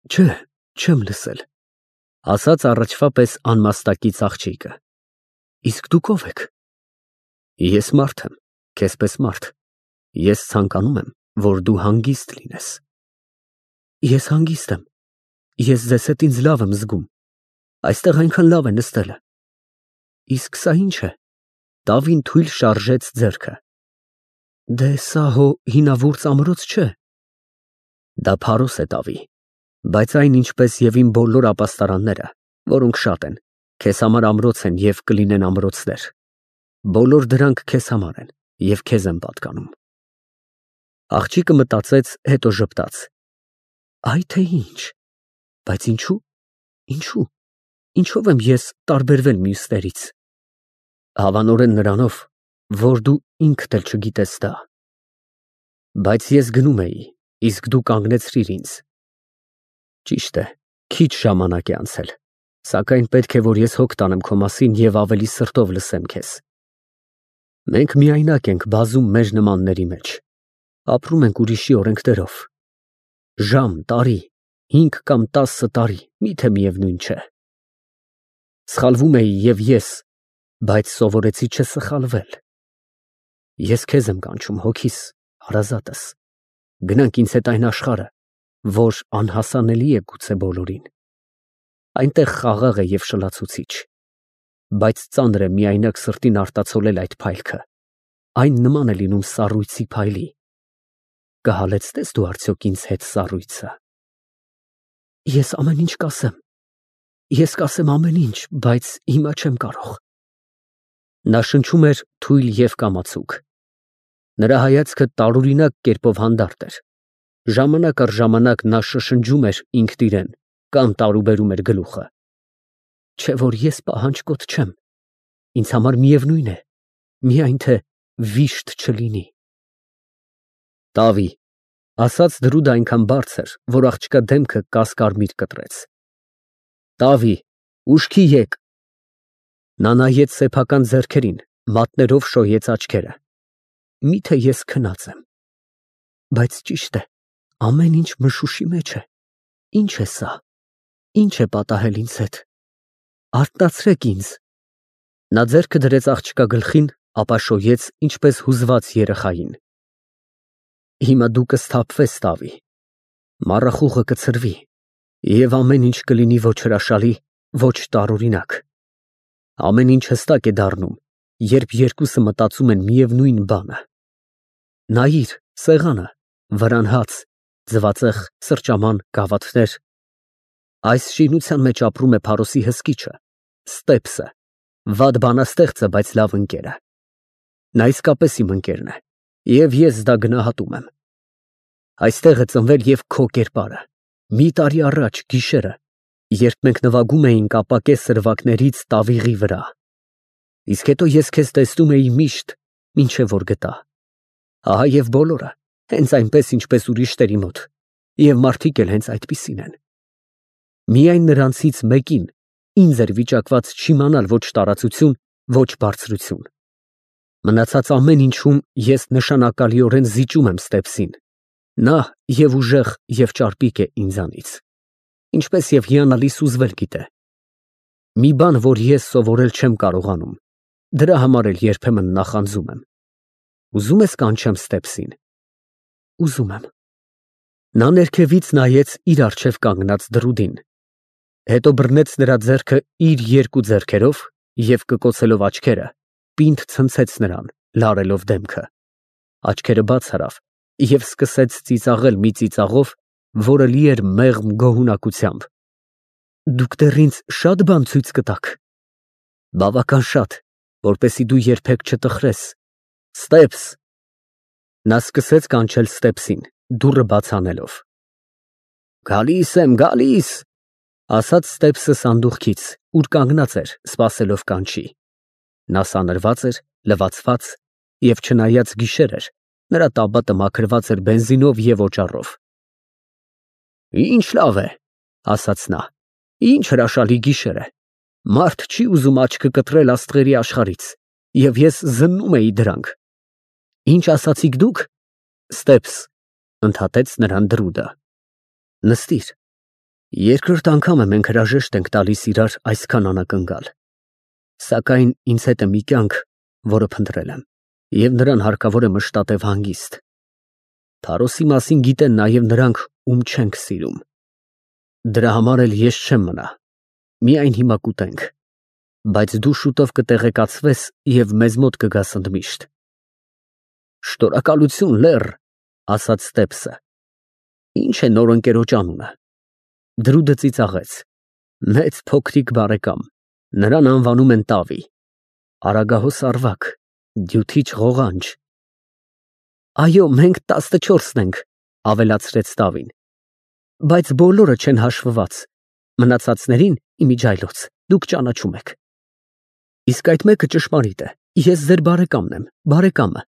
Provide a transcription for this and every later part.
Չէ, չեմ լսել, ասաց առաջվա պես անմաստակից աղջիկը։ Իսկ դուք ով եք։ Ես մարդ եմ, քեզպես մարդ։ Ես ցանկանում եմ, որ դու հանգիստ լինես։ Ես հանգիստ եմ։ Ես ձեզ հետ ինձ լավ եմ զգում։ Այստեղ այնքան լավ է նստելը։ Իսկ սա ինչ է։ Տավին թույլ շարժեց ձեռքը։ Դե սա հո հինավուրց ամրոց չէ։ Դա փարոս է, Տավի, բայց այն ինչպես եւ իմ բոլոր ապաստարանները, որոնք շատ են, քեզ համար ամրոց են եւ կլինեն ամրոցներ։ Բոլոր դրանք քեզ համար են եւ քեզ են պատկանում։ Աղջիկը մտածեց, հետո ժպտաց։ Այ թե ինչ։ Բայց ինչու։ Ինչով եմ ես տարբերվել մյուսներից։ Հավանորեն նրանով, որ դու ինքդ էլ չգիտես դա։ Բայց ես գնում էի, իսկ դու կանգնեցրիր ինձ։ Ճիշտ է, քիչ ժամանակ է անցել, սակայն պետք է, որ ես հոգ տանեմ քո մասին եւ ավելի սրտով լսեմ քեզ։ Մենք միայնակ ենք բազում մեր նմանների մեջ։ Ապրում ենք ուրիշի օրենքներով։ Ժամ, տարի, 5 կամ 10 տարի, միթե միևնույն չէ։ Սխալվում էի եւ ես, բայց սովորեցի չսխալվել։ Ես քեզ եմ կանչում, հոգիս, հարազատս։ Գնանք ինձ հետ այն աշխարհը, որ անհասանելի է գուցե բոլորին։ Այնտեղ խաղաղ է եւ շլացուցիչ, բայց ծանր է միայնակ սրտին արտացոլել այդ փայլքը։ Այն նման է լինում սառույցի փայլի։ Կհալեցնես դու արդյոք ինձ հետ սառույցը։ Ես ամեն ինչ կասեմ։ Ես կասեմ ամեն ինչ, բայց հիմա չեմ կարող։ Նա շնչում էր թույլ եւ կամացուկ։ Նրա հայացքը տարօրինակ կերպով հանդարտ էր։ Ժամանակ առ ժամանակ նա շշնջում էր ինքն իրեն կամ տարուբերում էր գլուխը։ Չէ որ ես պահանջկոտ չեմ։ Ինձ համար միևնույն է, միայն թե վիշտ չլինի։ Տավի, ասաց դրուդը այնքան բարձր, որ աղջկա դեմքը կասկարմիր կտրեց։ Տավի, ուշքի եկ։ Նա նայեց սեփական ձեռքերին, մատներով շոյեց աչքերը։ Միթե ես քնած եմ։ Բայց ճիշտ է, ամեն ինչ մշուշի մեջ է։ Ինչ է սա։ Ինչ է պատահել ինձ հետ։ Արթնացրեք ինձ։ Նա ձեռքը դրեց աղջկա գլխին, ապա շոյեց ինչպես հուզված երեխային։ Հիմա դու կսթափվես, Տավի։ Մառախուղը կցրվի, եւ ամեն ինչ կլինի ոչ հրաշալի, ոչ տարօրինակ։ Ամեն ինչ հստակ է դառնում, երբ երկուսը մտածում են միևնույն բանը։ Նայիր, սեղանը, վրան հաց, ձվածեղ, սրճաման, գավաթներ։ Այս շինության մեջ ապրում է Փարոսի հսկիչը, Ստեփսը, վատ բանաստեղծը, բայց լավ ընկերը։ Նա իսկապես իմ ընկերն է, եւ ես դա գնահատում եմ։ Այստեղ է ծնվել եւ քո կերպարը։ Մի տարի առաջ գիշերը, երբ մենք նվագում էինք ապակե սրվակներից Տավիղի վրա։ Իսկ հետո ես քեզ տեսնում էի միշտ, մինչև որ գտա։ Ահա եւ բոլորը, հենց այնպես ինչպես ուրիշների մոտ, եւ մարդիկ էլ հենց այդպիսին են։ Միայն նրանցից մեկին ինձ էր վիճակված չիմանալ ոչ տարածություն, ոչ բարձրություն։ Մնացած ամեն ինչում ես նշանակալիորեն զիջում եմ Ստեփսին։ Նա եւ ուժեղ եւ ճարպիկ է ինձանից, ինչպես եւ հիանալի սուզվել գիտե։ Մի բան, որ ես սովորել չեմ կարողանում, դրա համար էլ երբեմն նախանձում եմ։ Ուզում ես կանչեմ Ստեփսին։ Ուզում եմ։ Նա ներքևից նայեց իր առջև կանգնած դրուդին, հետո բռնեց նրա ձեռքը իր երկու ձեռքերով եւ կկոցելով աչքերը, պինդ ցնցեց նրան, լարելով դեմքը։ Աչքերը բաց արավ եւ սկսեց ծիծաղել մի ծիծաղով, որը լի էր մեղմ գոհունակությամբ։ Դուք դեռ ինձ շատ բան ցույց կտաք։ Բավական շատ, որպեսզի դու երբեք չտխրես։ Ստեփս։ Նա սկսեց կանչել Ստեփսին, դուռը բաց անելով։ Գալիս եմ, գալիս, ասաց Ստեփսը սանդուղքից, ուր կանգնած էր, սպասելով կանչի։ Նա սանրված էր, լվացված եւ չնայած գիշեր էր, նրա տաբատը մաքրված էր բենզինով եւ օճառով։ Ինչ լավ է, ասաց նա, ինչ հրաշալի գիշեր է։ Մարդ չի ուզում աչքը կտրել աստղերի աշխարհից, եւ ես զննում էի դրանք։ Ինչ ասացիք դուք։ Ստեփս, ընդհատեց նրան դրուդը։ Նստիր։ Երկրորդ անգամ է մենք հրաժեշտ ենք տալիս իրար այսքան անակնկալ, սակայն ինձ հետ է մի կյանք, որը փնտրել եմ, և նրան հարկավոր է մշտատև հանգիստ։ Փարոսի մասին գիտեն նաև նրանք, ում չենք սիրում։ Դրա համար էլ ես չեմ մնա, միայն հիմա կուտենք, բայց դու շուտով կտեղեկացվես և մեզ մոտ կգաս ընդմիշտ։ Շնորհակալություն, լեռ, ասաց Ստեփսը։ Ինչ է նոր ընկերոջ անունը։ Դրուդը ծիծաղեց։ Մեծ փոքրիկ բարեկամ, նրան անվանում են Տավի, արագահոս ավագ, դյութիչ ղողանջ։ Այո, մենք 14-ն ենք, ավելացրեց Տավին, բայց բոլորը չեն հաշվված, մնացածներին իմիջայլոց դուք ճանաչում եք։ Իսկ այդ մեկը ճշմարիտ է, ես ձեր բարեկամն եմ, բարեկամը,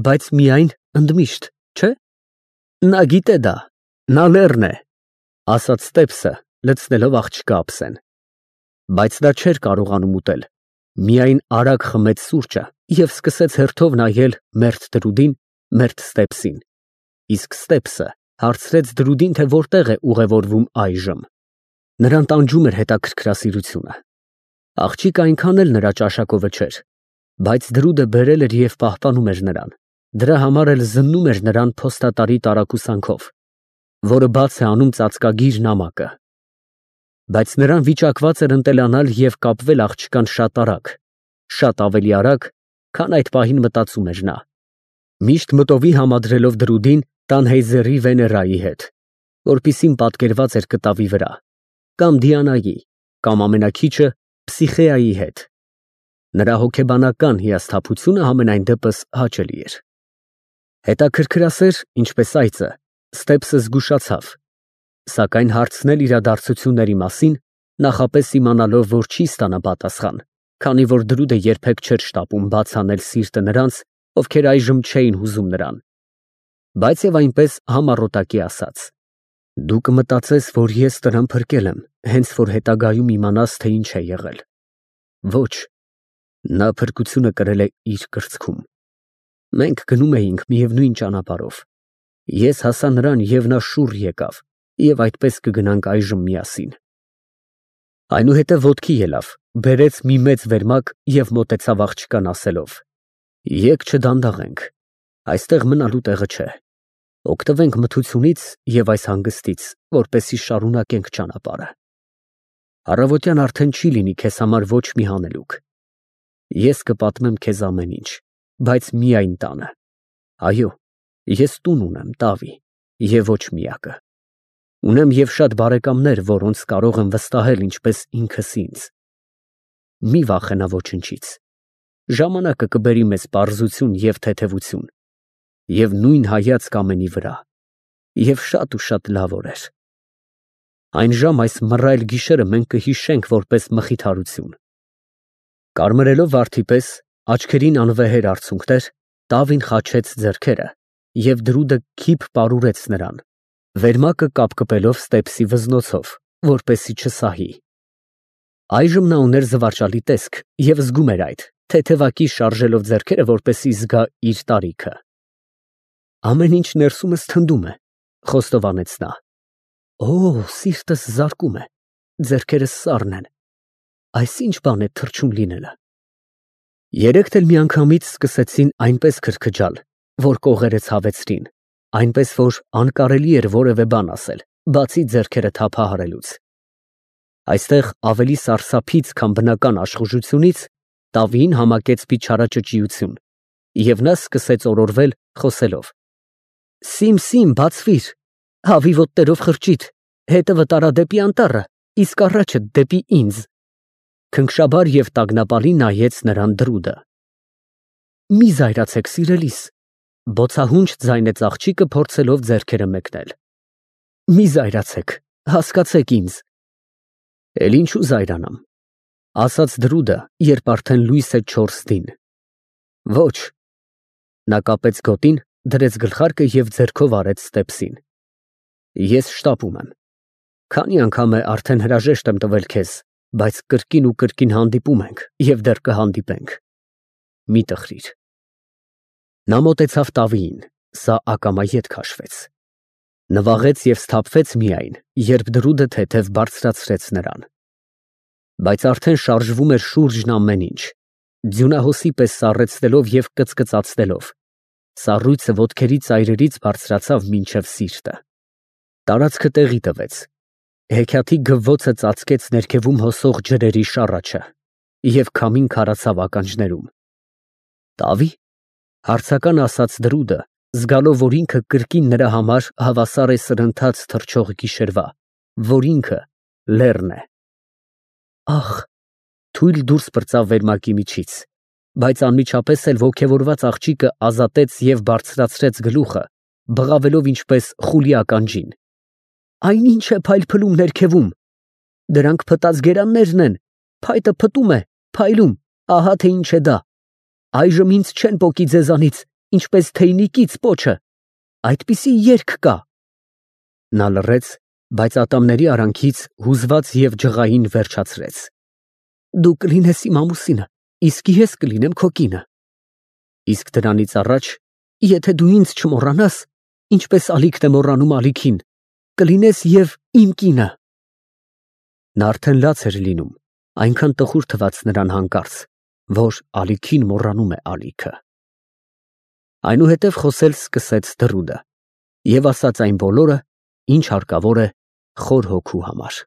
բայց միայն ընդմիշտ, չէ։ Նա գիտե դա, նա լեռն է, ասաց Ստեփսը, լցնելով աղջկա ափսեն։ Բայց նա չէր կարողանում ուտել, միայն արագ խմեց սուրճը և սկսեց հերթով նայել մերթ Դրուդին, մերթ Ստեփսին, իսկ Ստեփսը հարցրեց Դրուդին, թե որտեղ է ուղևորվում այժմ։ Նրան տանջում էր հետաքրքրասիրությունը։ Աղջիկը այնքան էլ նրա ճաշակովը չէր, բայց Դրուդը բերել էր և պահպանում էր նրան, դրա համար էլ զննում էր նրան փոստատարի տարակուսանքով, որը բաց է անում ծածկագիր նամակը։ Բայց նրան վիճակված էր ընտելանալ և կապվել աղջկան շատ ավելի արագ, քան այդ պահին մտածում էր նա, միշտ մտովի համադրելով Դրուդին Տանհեյզերի Վեներայի հետ, որպիսին պատկերված էր կտավի վրա, կամ Դիանայի, կամ ամենաքիչը Փսիխեայի հետ։ Նրա հոգեբանական հիասթափությունը համենայն դեպս հաճելի էր։ Հետաքրքրասեր, ինչպես այծը, Ստեփսը զգուշացավ, սակայն հարցնել իրադարձությունների մասին, նախապես իմանալով, որ չի ստանա պատասխան, քանի որ Դրուդը երբեք չէր շտապում բաց անել սիրտը նրանց, ովքեր այժմ չէին հուզում նրան, բայց և այնպես համառոտակի ասաց. Դու կմտածես, որ ես նրան փրկել եմ, հենց որ հետագայում իմանաս, թե ինչ է եղել։ Ոչ, նա փրկությունը կրել է իր կրծքում։ Մենք գնում էինք միևնույն ճանապարհով։ Ես հասա նրան, և նա շուռ եկավ, և այդպես կգնանք այժմ միասին։ Այնուհետև ոտքի ելավ, բերեց մի մեծ վերմակ և մոտեցավ աղջկան, ասելով. Եկ չդանդաղենք, այստեղ մնալու տեղը չէ։ Օգտվենք մթությունից և այս հանգստից, որպեսզի շարունակենք ճանապարհը։ Առավոտյան արդեն չի լինի քեզ համար ոչ մի հանելուկ։ Ես կպատմեմ քեզ ամեն ինչ, բայց միայն տանը։ Այո, ես տուն ունեմ, Տավի, և ոչ միակը։ Ունեմ և շատ բարեկամներ, որոնց կարող եմ վստահել ինչպես ինքս ինձ։ Մի վախենա ոչնչից։ Ժամանակը կբերի մեզ պարզություն և թեթևություն, և նույն հայացք ամենի վրա, և շատ լավ օրեր։ Այն ժամ այս մռայլ գիշերը մենք կհիշենք որպես մխիթարություն։ Կարմրելով վարդի պես, աչքերին անվեհեր արցունքներ, Տավին խաչեց ձեռքերը, և Դրուդը քիփ պարուրեց նրան, վերմակը կապկպելով Ստեփսի վզնոցով, որպեսզի չսահի։ Այժմ նա ուներ զվարճալի տեսք և զգում էր այդ, թեթևակի շարժելով ձեռքերը, որպեսզի զգա իր տարիքը։ Ամեն ինչ ներսումս թնդում է, խոստովանեց նա։ Օ, սիրտս զարկում է, ձեռքերս սառն են։ Այս ինչ բան է թռչուն լինելը։ Երեքդ էլ միանգամից սկսեցին այնպես քրքջալ, որ կողերը ցավեցրին, այնպես որ անկարելի էր որևէ բան ասել, բացի ձեռքերը թափահարելուց։ Այստեղ ավելի սարսափից, քան բնական աշխուժությունից, Տավիին համակեց փիչարաճճիություն, և նա սկսեց օրորվել, խոսելով. Սիմ, բացվիր, հավի ոտներով խրճիթ, հետևը տարա դեպի անտառը, իսկ առաջը դեպի ինձ։ Քնքշաբար և տագնապալի նայեց նրան Դրուդը։ Մի զայրացեք, սիրելիս, բոցահունչ ձայնեց աղջիկը, փորձելով ձեռքերը մեկնել։ Մի զայրացեք, հասկացեք ինձ։ Էլ ինչու զայրանամ, ասաց Դրուդը, երբ արդեն լույս է 4-ին։ Ոչ։ Նա կապեց գոտին, դրեց գլխարկը և ձեռքով արեց Ստեփսին։ Ես շտապում եմ։ Քանի անգամ է արդեն հրաժեշտ եմ տվել քեզ, բայց կրկին ու կրկին հանդիպում ենք և դեռ կհանդիպենք։ Մի տխրիր։ Նա մոտեցավ Տավիին, սա ակամա ետ քաշվեց։ Նվաղեց և սթափվեց միայն, երբ դրուդը թեթև բարձրացրեց նրան։ Բայց արդեն շարժվում էր շուրջն ամեն ինչ, ձյունահոսի պես սառեցնելով և կծկծացնելով, սառույցը ոտքերի ծայրերից բարձրացավ մինչև սիրտը։ Տարածքը տեղի տվեց, հեքիաթի գվվոցը ծածկեց ներքևում հոսող ջրերի շառաչը և քամին քարացավ ականջներում։ «Տավի՞», հարցական ասաց դրուդը, զգալով, որ ինքը կրկին նրա համար հավասար է սրընթաց թռչող գիշերվա, որ ինքը լեռն է։ «Ախ», թույլ դուրս պրծավ վերմակի միջից, բայց անմիջապես էլ ոգևորված աղջիկը ազատեց և բարձրացրեց գլուխը, բղավելով ինչպես խուլի ականջին։ «Այն ինչ է փայլփլում ներքևում։ Դրանք փտած գերաններն են, փայտը փտում է, փայլում, ահա թե ինչ է դա։ Այժմ ինձ չեն պոկի ձեզանից, ինչպես թեյնիկից պոչը։ Այդպիսի երգ կա»։ Նա լռեց, բայց ատամների արանքից հուզված և ջղային վերջացրեց. «Դու կլինես իմ ամուսինը, իսկ ես կլինեմ քո կինը։ Իսկ դրանից առաջ, եթե դու ինձ չմոռանաս, ինչպես ալիքն է մոռանում ալիքին, կլինես և իմ կինը»։ Նա արդեն լաց էր լինում, այնքան տխուր թվաց նրան հանկարծ, որ ալիքին մոռանում է ալիքը։ Այնուհետև խոսել սկսեց դրուդը և ասաց այն բոլորը, ինչ հարկավոր է խոր հոգու համար։